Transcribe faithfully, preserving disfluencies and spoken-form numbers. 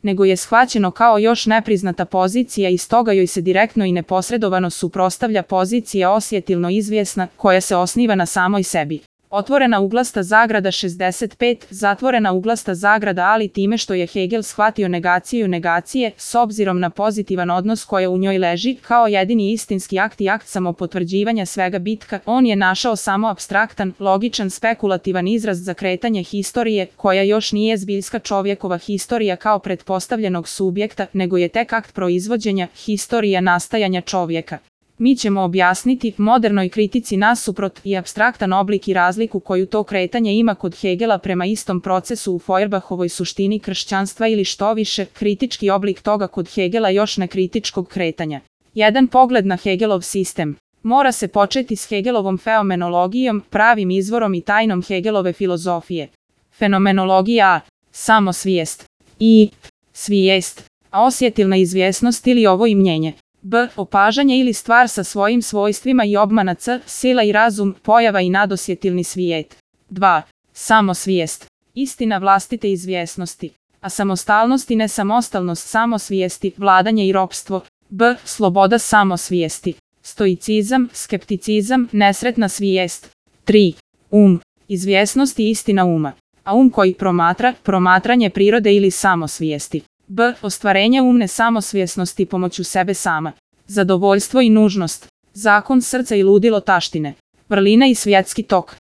nego je shvaćeno kao još nepriznata pozicija i stoga joj se direktno i neposredovano suprotstavlja pozicija osjetilno izvjesna, koja se osniva na samoj sebi. Otvorena uglasta zagrada šezdeset pet, zatvorena uglasta zagrada ali time što je Hegel shvatio negaciju negacije, s obzirom na pozitivan odnos koja u njoj leži, kao jedini istinski akt i akt samopotvrđivanja svega bitka, on je našao samo apstraktan, logičan, spekulativan izraz za kretanje historije, koja još nije zbiljska čovjekova historija kao pretpostavljenog subjekta, nego je tek akt proizvođenja, historija nastajanja čovjeka. Mi ćemo objasniti modernoj kritici nasuprot i apstraktan oblik i razliku koju to kretanje ima kod Hegela prema istom procesu u Feuerbahovoj suštini kršćanstva ili što više, kritički oblik toga kod Hegela još nekritičkog kretanja. Jedan pogled na Hegelov sistem. Mora se početi s Hegelovom fenomenologijom, pravim izvorom i tajnom Hegelove filozofije. Fenomenologija a. Samosvijest. I. Svijest. A osjetilna izvjesnost ili ovo imnjenje. B. Opažanje ili stvar sa svojim svojstvima i obmana c. Sila i razum, pojava i nadosjetilni svijet. dva. Samosvijest. Istina vlastite izvjesnosti. A samostalnost i nesamostalnost samosvijesti, vladanje i ropstvo. B. Sloboda samosvijesti. Stoicizam, skepticizam, nesretna svijest. tri. Um. Izvjesnost i istina uma. A um koji promatra, promatranje prirode ili samosvijesti. B. Ostvarenje umne samosvjesnosti pomoću sebe sama. Zadovoljstvo i nužnost. Zakon srca i ludilo taštine. Vrlina i svjetski tok.